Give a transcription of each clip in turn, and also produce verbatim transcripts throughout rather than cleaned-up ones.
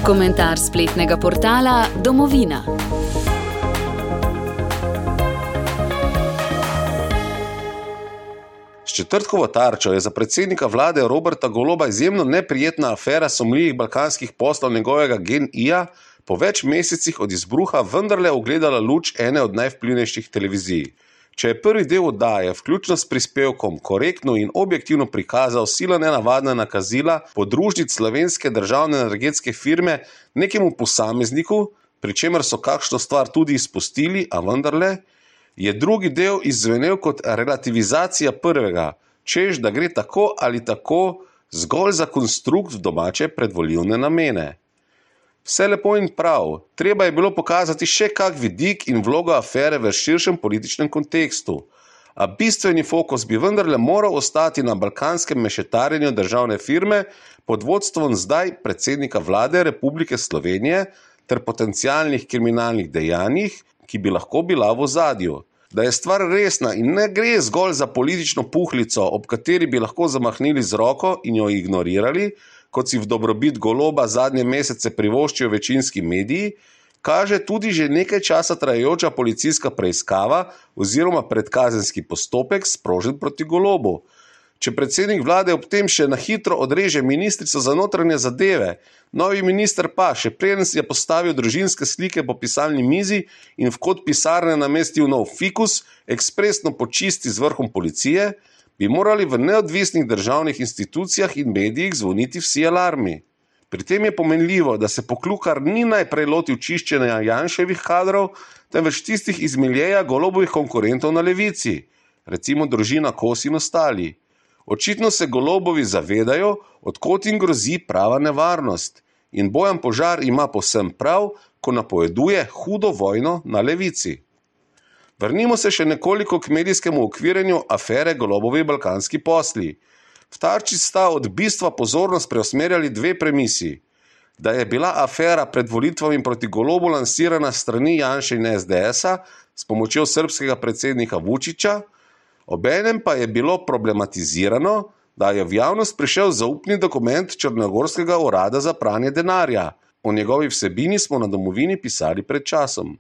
Komentar spletnega portala Domovina. S četrtkovo tarčo je za predsednika vlade Roberta Goloba izjemno neprijetna afera sumljivih balkanskih poslov njegovega GEN-I-ja po več mesecih od izbruha vendarle ugledala luč ene od najvplivnejših televizij. Če je prvi del oddaje, vključno s prispevkom, korektno in objektivno prikazal sila nenavadna nakazila podružnic slovenske državne energetske firme nekemu posamezniku, pri čemer so kakšno stvar tudi izpustili, a vendarle, je drugi del izzvenel kot relativizacija prvega, češ da gre tako ali tako zgolj za konstrukt v domače predvolilne namene. Vse lepo in prav, treba je bilo pokazati še kak vidik in vlogo afere v širšem političnem kontekstu, a bistveni fokus bi vendarle moral ostati na balkanskem mešetarjenju državne firme pod vodstvom zdaj predsednika vlade Republike Slovenije ter potencialnih kriminalnih dejanjih, ki bi lahko bila v ozadju. Da je stvar resna in ne gre zgolj za politično puhlico, ob kateri bi lahko zamahnili z roko in jo ignorirali, kot si v dobrobit Goloba zadnje mesece privoščijo večinski mediji, kaže tudi že nekaj časa trajajoča policijska preiskava oziroma predkazenski postopek sprožen proti Golobu. Če predsednik vlade ob tem še na hitro odreže ministrico za notranje zadeve, novi minister pa, še preden si je postavil družinske slike po pisalni mizi in v kot pisarne namestil nov fikus, ekspresno počisti z vrhom policije, bi morali v neodvisnih državnih institucijah in medijih zvoniti vsi alarmi. Pri tem je pomenljivo, da se Poklukar ni najprej lotil čiščenja Janševih kadrov, temveč tistih iz miljeja Golobovih konkurentov na levici, recimo družina Kos in ostali. Očitno se Golobovi zavedajo, od kod jim grozi prava nevarnost, in Bojan Požar ima povsem prav, ko napoveduje hudo vojno na levici. Vrnimo se še nekoliko k medijskemu okvirjenju afere Golobovi balkanski posli. V tarči sta od bistva pozornost preusmerjali dve premisi. Da je bila afera pred volitvami proti Golobu lansirana strani Janše in es de es-a s pomočjo srbskega predsednika Vučića, obenem pa je bilo problematizirano, da je v javnost prišel zaupni dokument Črnogorskega urada za pranje denarja. O njegovi vsebini smo na Domovini pisali pred časom.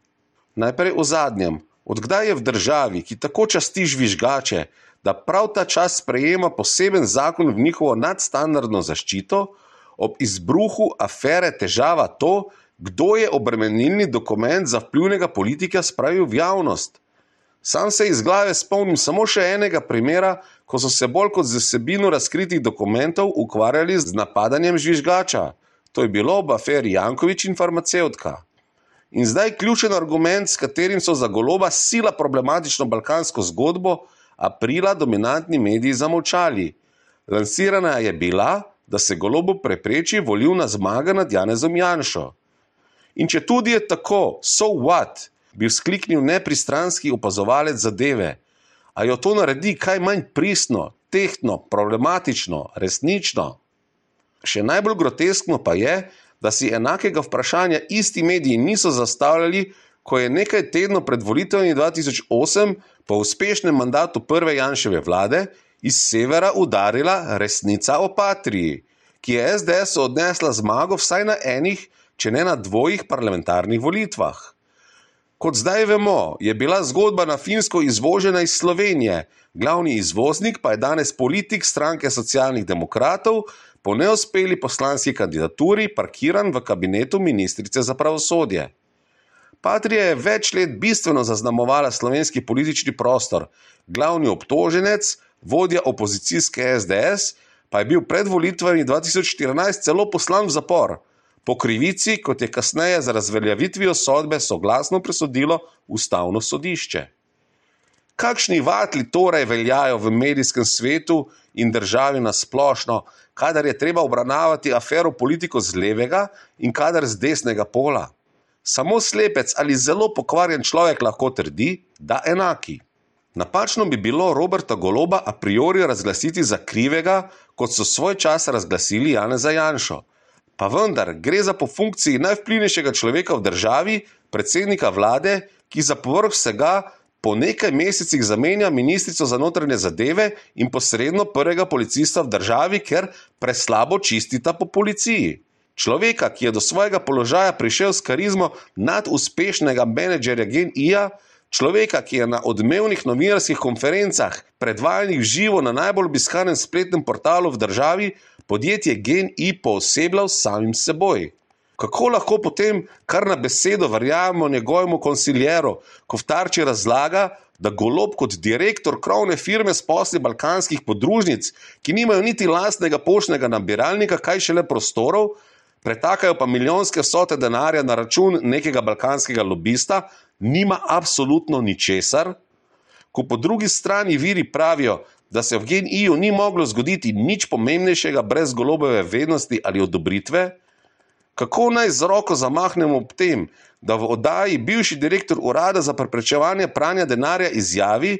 Najprej o zadnjem. Odkdaj je v državi, ki tako časti žvižgače, da prav ta čas sprejema poseben zakon v njihovo nadstandardno zaščito, ob izbruhu afere težava to, kdo je obremenilni dokument za vplivnega politika spravil v javnost. Sam se iz glave spomnim samo še enega primera, ko so se bolj kot z vsebino razkritih dokumentov ukvarjali z napadanjem žvižgača. To je bilo ob aferi Janković in farmacevtka. In zdaj ključen argument, s katerim so za Goloba sila problematično balkansko zgodbo aprila dominantni mediji zamolčali. Lansirana je bila, da se Golobu prepreči volilna zmaga nad Janezom Janšo. In če tudi je tako, so what, bi vzkliknil nepristranski opazovalec zadeve, a jo to naredi kaj manj pristno, tehtno, problematično, resnično. Še najbolj groteskno pa je, da si enakega vprašanja isti mediji niso zastavljali, ko je nekaj tednov pred volitvami dva tisoč osem po uspešnem mandatu prve Janševe vlade iz severa udarila resnica o Patriji, ki je es de es-u odnesla zmago vsaj na enih, če ne na dvojih parlamentarnih volitvah. Kot zdaj vemo, je bila zgodba na Finsko izvožena iz Slovenije, glavni izvoznik pa je danes politik stranke Socialnih demokratov, po neuspeli poslanski kandidaturi parkiran v kabinetu ministrice za pravosodje. Patrija je več let bistveno zaznamovala slovenski politični prostor, glavni obtoženec, vodja opozicijske es de es, pa je bil pred volitvami dva tisoč štirinajst celo poslan v zapor, po krivici, kot je kasneje za razveljavitvijo sodbe soglasno presodilo Ustavno sodišče. Kakšni vatli torej veljajo v medijskem svetu in državi na splošno, kadar je treba obravnavati afero politiko z levega in kadar z desnega pola? Samo slepec ali zelo pokvarjen človek lahko trdi, da enaki. Napačno bi bilo Roberta Goloba a priori razglasiti za krivega, kot so svoj čas razglasili Janeza Janšo. Pa vendar, gre za po funkciji najvplivnejšega človeka v državi, predsednika vlade, ki za povrh vsega po nekaj mesecih zamenja ministrico za notranje zadeve in posredno prvega policista v državi, ker preslabo čistita po policiji. Človeka, ki je do svojega položaja prišel s karizmo naduspešnega menedžerja Gen I-ja, človeka, ki je na odmevnih novinarskih konferencah, predvajanih v živo na najbolj obiskanem spletnem portalu v državi, podjetje Gen I poosebljal s samim seboj. Kako lahko potem kar na besedo verjamemo njegovemu konsiljeru, ko v Tarči razlaga, da Golob kot direktor krovne firme s posli balkanskih podružnic, ki nimajo niti lastnega poštnega nabiralnika, kaj šele prostorov, pretakajo pa milijonske vsote denarja na račun nekega balkanskega lobista, nima absolutno ničesar? Ko po drugi strani viri pravijo, da se v Gen I-ju ni moglo zgoditi nič pomembnejšega brez Golobove vednosti ali odobritve, kako naj z roko zamahnemo ob tem, da v oddaji bivši direktor Urada za preprečevanje pranja denarja izjavi,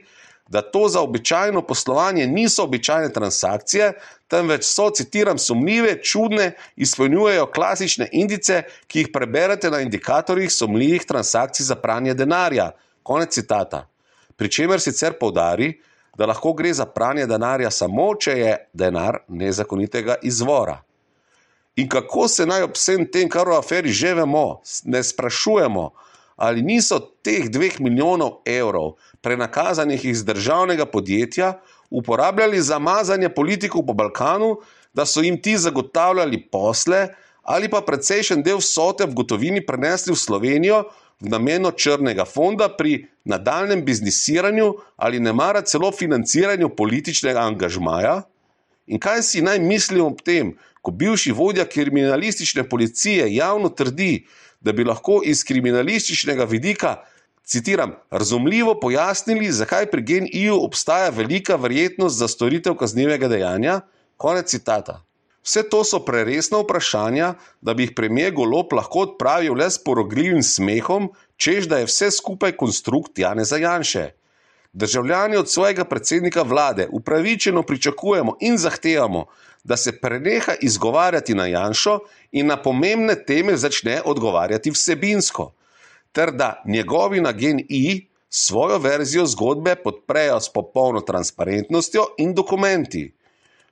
da to za običajno poslovanje niso običajne transakcije, temveč so, citiram, sumljive, čudne, izpolnjujejo klasične indice, ki jih preberete na indikatorjih sumljivih transakcij za pranje denarja. Konec citata. Pri čemer sicer poudari, da lahko gre za pranje denarja samo, če je denar nezakonitega izvora. In kako se naj ob vsem tem, kar v aferi že vemo, ne sprašujemo, ali niso teh dveh milijonov evrov, prenakazanih iz državnega podjetja, uporabljali za mazanje politikov po Balkanu, da so jim ti zagotavljali posle, ali pa precejšen del vsote v gotovini prenesli v Slovenijo v namenu črnega fonda pri nadaljnjem biznisiranju ali nemara celo financiranju političnega angažmaja? In kaj si naj mislimo ob tem, ko bivši vodja kriminalistične policije javno trdi, da bi lahko iz kriminalističnega vidika, citiram, razumljivo pojasnili, zakaj pri Gen I-ju obstaja velika verjetnost za storitev kaznivega dejanja? Konec citata. Vse to so preresna vprašanja, da bi jih premier Golob lahko odpravil le s porogljivim smehom, češ da je vse skupaj konstrukt Janeza Janše. Državljani od svojega predsednika vlade upravičeno pričakujemo in zahtevamo, da se preneha izgovarjati na Janšo in na pomembne teme začne odgovarjati vsebinsko, ter da njegovi na Gen I svojo verzijo zgodbe podprejo s popolno transparentnostjo in dokumenti.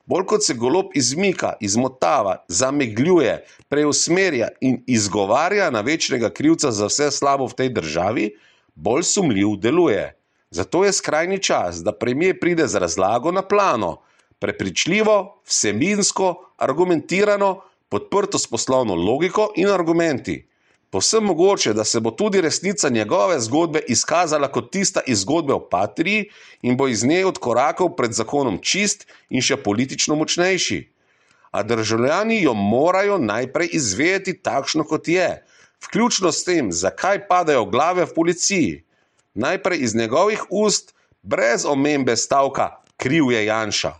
Bolj kot se Golob izmika, izmotava, zamegljuje, preusmerja in izgovarja na večnega krivca za vse slabo v tej državi, bolj sumljiv deluje. Zato je skrajni čas, da premier pride z razlago na plano, prepričljivo, vsebinsko, argumentirano, podprto s poslovno logiko in argumenti. Povsem mogoče, da se bo tudi resnica njegove zgodbe izkazala kot tista iz zgodbe o Patriji in bo iz nje odkorakal pred zakonom čist in še politično močnejši. A državljani jo morajo najprej izvedeti takšno, kot je, vključno s tem, zakaj padajo glave v policiji. Najprej iz njegovih ust, brez omembe stavka kriv je Janša.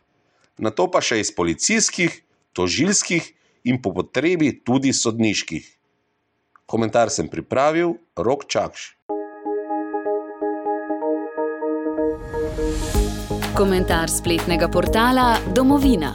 Nato pa še iz policijskih, tožilskih in po potrebi tudi sodniških. Komentar sem pripravil, Rok Čakš. Komentar spletnega portala Domovina.